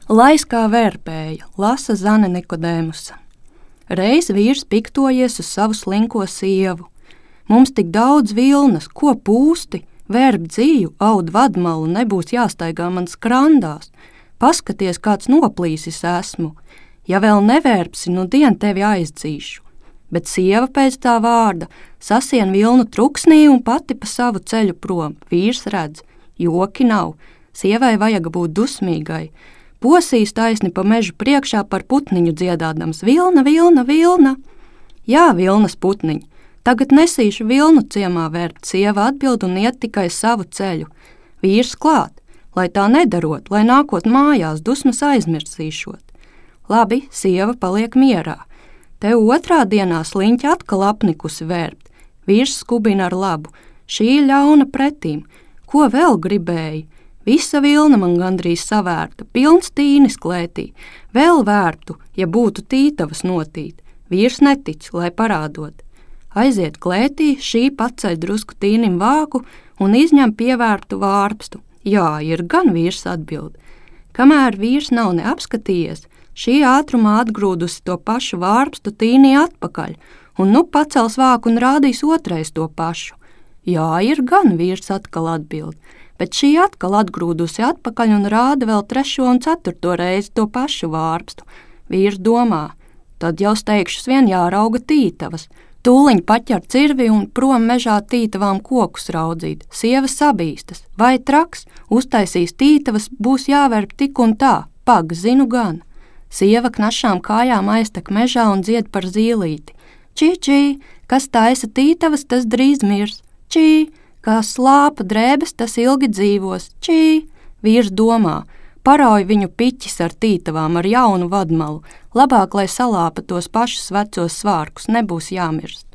Lais kā vērpēja, lasa Zane Nikodēmusa. Reiz vīrs piktojies uz savu slinko sievu. Mums tik daudz vilnas, ko pūsti, vērp dzīju, aud vadmalu, nebūs jāstaigā man skrandās. Paskaties, kāds noplīsis esmu. Ja vēl nevērpsi, nu dien tevi aizdzīšu. Bet sieva pēc tā vārda sasien vilnu truksnī un pati pa savu ceļu prom. Vīrs redz, joki nav, sievai vajag būt dusmīgai. Posīs taisni pa mežu priekšā par putniņu dziedādams: vilna, vilna, vilna. Jā, vilnas putniņ, tagad nesīšu vilnu ciemā vērpt, sieva atbild un iet tikai savu ceļu. Vīrs klāt, lai tā nedarot, lai nākot mājās dusmas aizmirsīšot. Labi, sieva paliek mierā. Te otrā dienā sliņķi atkal apnikusi vērpt. Vīrs skubina ar labu, šī ļauna pretīm. Ko vēl gribēji? Visa vilna man gandrīz savērta, pilns tīnis klētī. Vēl vērtu, ja būtu tītavas notīt. Vīrs netic, lai parādot. Aiziet klētī, šī paceļ drusku tīnim vāku un izņem pievērtu vārpstu. Jā, ir gan, vīrs atbild. Kamēr vīrs nav neapskatījies, šī ātrumā atgrūdusi to pašu vārpstu tīnī atpakaļ, un nu pacels vāku un rādīs otrais to pašu. Jā, ir gan, vīrs atkal atbild, bet šī atkal atgrūdusi atpakaļ un rāda vēl 3. un 4. reizi to pašu vārpstu. Vīrs domā, tad jau steigšus vien jārauga tītavas. Tūliņ paķer cirvi un prom mežā tītavām kokus raudzīt. Sieva sabīstas, vai traks, uztaisīs tītavas, būs jāverp tik un tā, pag, zinu gan. Sieva knašām kājām aiztek mežā un dzied par zīlīti. Čī, čī, kas taisa tītavas, tas drīz mirs. Čī, kā slāpa drēbes, tas ilgi dzīvos. Čī, vīrs domā, parauj viņu piķis ar tītavām, ar jaunu vadmalu. Labāk, lai salāpa tos pašus vecos svārkus, nebūs jāmirst.